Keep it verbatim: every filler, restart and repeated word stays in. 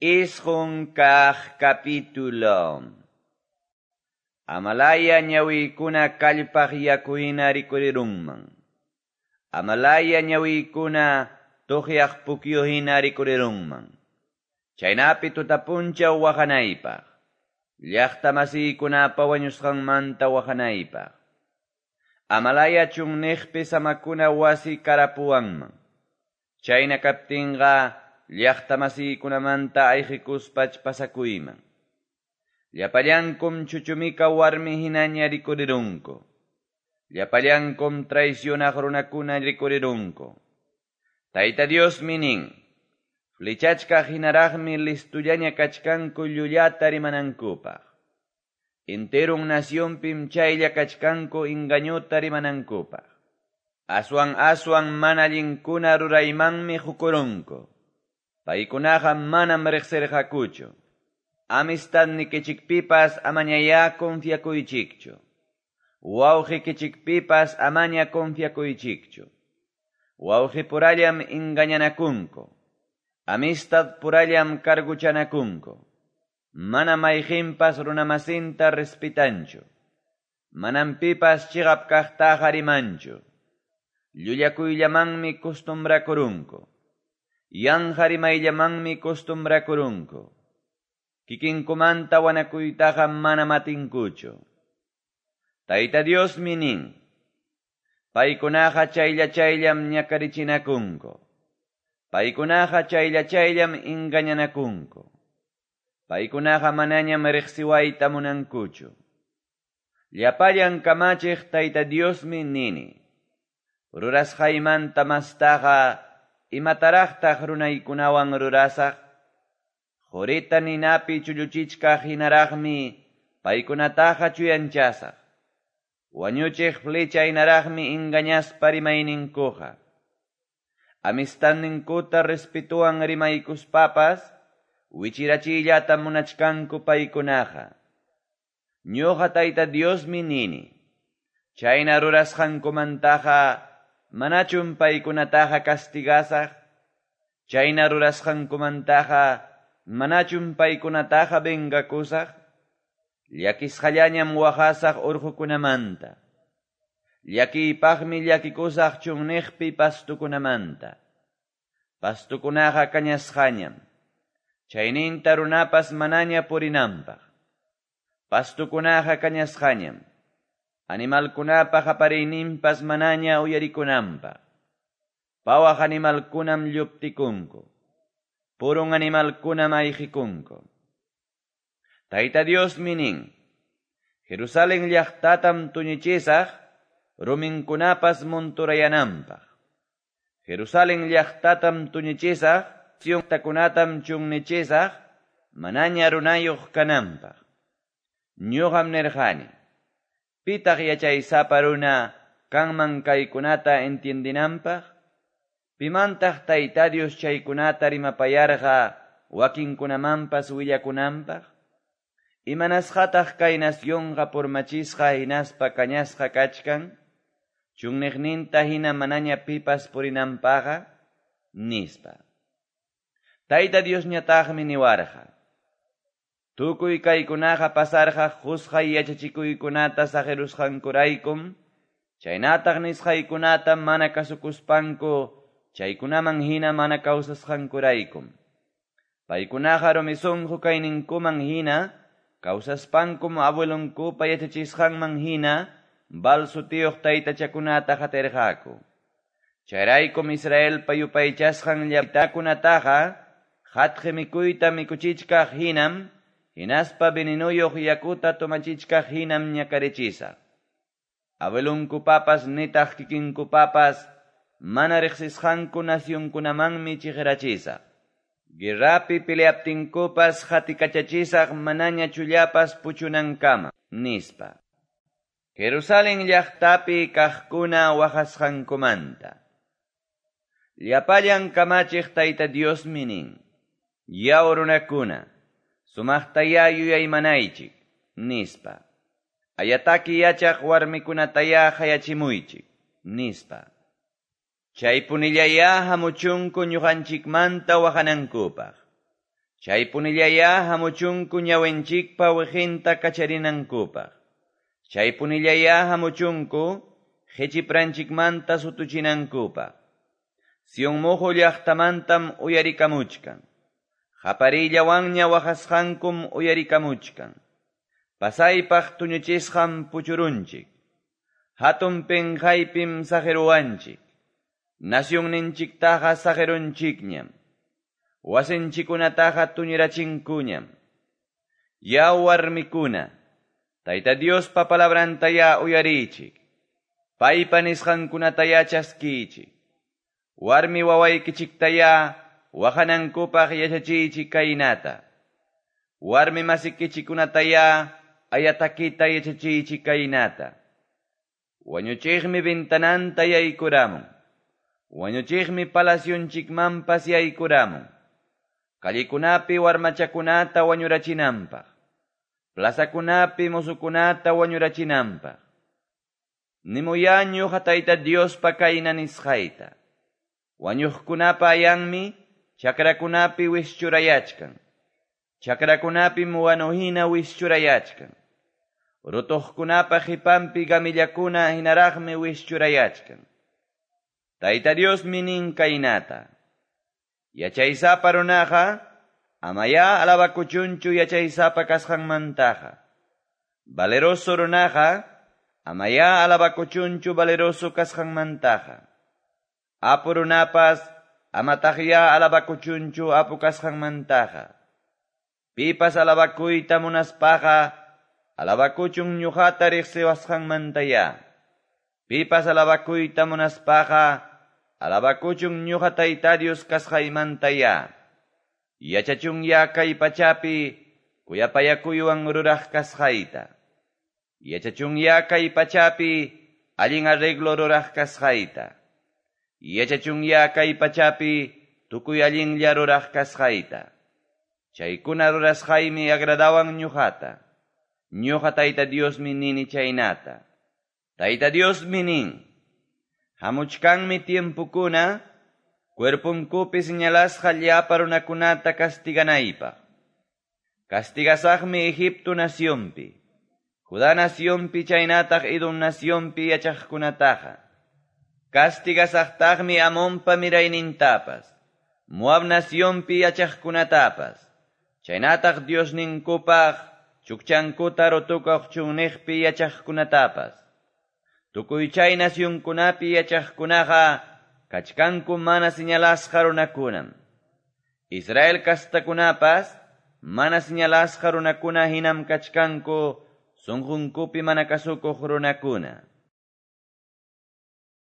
Isqun kaq capítulo. Amalaya ñawiykuna kallpaq yaku hina rikurirunman. Amalaya ñawiykuna tuqyaq pukyu hina rikurirunman. Chaynapi tutapunchaw waqanaypaq. Llaqta masiykunapa wañusqanmanta waqanaypaq. Amalaya chunniqpi samakuna wasi karapuwanman. Chayna kaptinqa llaqta masiykunamanta ayqikuspach pasakuyman. Llapallankum chuchumika warmi hinaña rikurirunku. Llapallankum traicionaq runakuna rikurirunku. Tayta Diosmi nin, flechachkaq hinaraqmi listullaña kachkanku llullata rimanankupaq. Enterun nacionpim chaylla kachkanku engañuta rimanankupaq. Aswan aswan mana allinkuna ruraymanmi qukurunku. Paykunaqa manam riqsirqakuchu. Amistadnikichikpipas amañayá confiakuychikchu. Wawqikichikpipas amaña confiakuychikchu. Wawqipurallam engañanakunku. Amistad purallam carguchanakunku. Mana mayqinpas runamasinta respetanchu. Manam pipas chiqap kaqtaqa rimanchu. Llullakuyllamanmi costumbrakurunku. Yanqa rimayllamanmi costumbrakurunku. Kikinkumanta wanakuytaqa manam atinkuchu. Tayta Diosmi nin, paykunaqa chaylla chayllam ñakarichinakunku. Paykunaqa chaylla chayllam engañanakunku. Paykunaqa manañam riqsiwayta munankuchu. Llapallan kamachiq Tayta Diosmi nini, rurasqaymanta mastaqa imataraqtaq runaykunawan rurasaq? Qurita ninapi chulluchichkaq hinaraqmi paykunataqa chuyanchasaq. Wañuchiq flecha hinaraqmi engañaspa rimayninkuqa. Amistadninkuta respetuwan rimaykuspapas wichirachiyllata munachkanku paykunaqa. Ñuqa Tayta Diosmi nini, chayna rurasqankumantaqa manachum paykunataqa castigasaq? Chayna rurasqankumantaqa manachum paykunataqa vengakusaq? Llakisqallañam waqasaq urqukunamanta. Llakiypaqmi llakikusaq chunniqpi pastukunamanta. Pastukunaqa kañasqañam. Chayninta runapas manaña purinanpaq. Pastukunaqa kañasqañam. Animalkunapa qapariyninpas manaña uyarikunanpaq. Pawaq animalkunam lluptikunku. Purun animalkunam ayqikunku. Tayta Diosmi nin, Jerusalén llaqtatam tuñichisaq, ruminkunapas monturayananpaq. Jerusalén llaqtatam tuñichisaq, llaqtakunatam chunnichisaq, manaña runayuq kananpaq. Ñuqam nirqani, pitaq yachaysapa runa kanman kaykunata entiendinanpaq? Pimantaq Tayta Dios chaykunata rimapayarqa wakinkunamanpas willakunanpaq? Imanasqataq kay nacionqa purmachisqa hinaspa kañasqa kachkan? Chunniqninta hina manaña pipas purinanpaqqa? Nispa. Tayta Diosñataqmi niwarqa, tukuy kaykunaqa pasarqa qusqay yachachikuykunata saqirusqankuraykum, chaynataq nisqaykunata mana kasukuspanku, chaykunaman hina mana kawsasqankuraykum. Paykunaqa rumi sunqu kayninkuman hina, kawsaspankum abuelonkupa yachachisqanman hina, Baal sutiyuq taytachakunata qatirqaku. Chayraykum Israelpa yupaychasqan llaqtakunataqa qatqi mikuyta mikuchichkaq hinam, hinaspa venenuyuq yakuta tomachichkaq hinam ñakarichisaq. Abuelonkupapas nitaq kikinkupapas mana riqsisqanku nacionkunamanmi chiqirachisaq. Guerrapi peleaptinkupas qatikachachisaq manaña chullapas puchunankama, nispa. Jerusalén llaqtapi kaqkuna waqasqankumanta. Llapallan kamachiq Tayta Diosmi nin, yaw runakuna, sumaqtayá yuyaymanaychik, nispa. Ayataki yachaq warmikunatayá qayachimuychik, nispa. Chaypunillayá hamuchunku ñuqanchikmanta waqanankupaq. Chaypunillayá hamuchunku ñawinchikpa weqenta kacharinankupaq. Chaypunillayá hamuchunku qechipranchikmanta sutuchinankupaq. Sion moqo llaqtamantam uyarikamuchkan. Qaparillawanña waqasqankum uyarikamuchkan. Pasaypaq tuñuchisqam puchurunchik. Hatun penqaypim saqeruwanchik. Nacionninchiktaqa saqerunchikñam. Wasinchikunataqa tuñirachinkuñam. Yaw warmikuna, Tayta Diospa palabrantayá uyarichik. Paypa nisqankunatayá chaskichik. Warmi wawaykichiktayá waqanankupaq yachachiychik kaynata. Warmi masikichikunatayá ayatakita yachachiychik kaynata. Wañuchiqmi ventananta yaykuramun. Wañuchiqmi palacionchikmanpas yaykuramun. Callikunapi warmachakunata wañurachinanpaq. Plazakunapi musukunata wañurachinanpaq. Nimuyá ñuqa Tayta Diospa kayna nisqayta. Wañuqkunapa ayanmi chakrakunapi wischurayachkan. Chakrakunapim wanuhina wischurayachkan. Rutuqkunapa qipanpi gamillakuna hinaraqmi wischurayachkan. Tayta Diosmi nin kaynata. Yachaysapa runaqa amayá alabakuchunchu yachaysapa kasqanmantaqa. Valeroso runaqa amayá alabakuchunchu valeroso kasqanmantaqa. Apu runapas amataqyá alabakuchunchu apu kasqanmantaqa. Pipas alabakuyta munaspaqa alabakuchun ñuqata riqsiwasqanmantayá. Pipas alabakuyta munaspaqa alabakuchun ñuqa Tayta Dios kasqaymantayá. Yachachunya kay pachapi kuyapayakuywan ruraq kasqayta. Yachachunya kay pachapi allin arreglo ruraq kasqayta. Yachachunya kay pachapi tukuy allinlla ruraq kasqayta. Chaykuna rurasqaymi agradawan ñuqata. Ñuqa Tayta Diosmi nini chaynata. Tayta Diosmi nin. Hamuchkanmi tiempukuna, cuerpunkupi señalasqa llapa runakunata castiganaypaq. Castigasaqmi Egipto nacionpi, Judá nacionpi chaynataq Edom nacionpi yachaqkunataqa. Castigasaqtaqmi Amonpa miraynintapas, Moab nacionpi yachaqkunatapas, chaynataq Diosninkupaq chukchankuta rutukuq chunniqpi yachaqkunatapas. Tukuy chay nacionkunapi yachaqkunaqa kachkanku mana señalasqa runakunam. Israel kastakunapas mana señalasqa runakuna hinam kachkanku sunqunkupi mana kasukuq runakuna.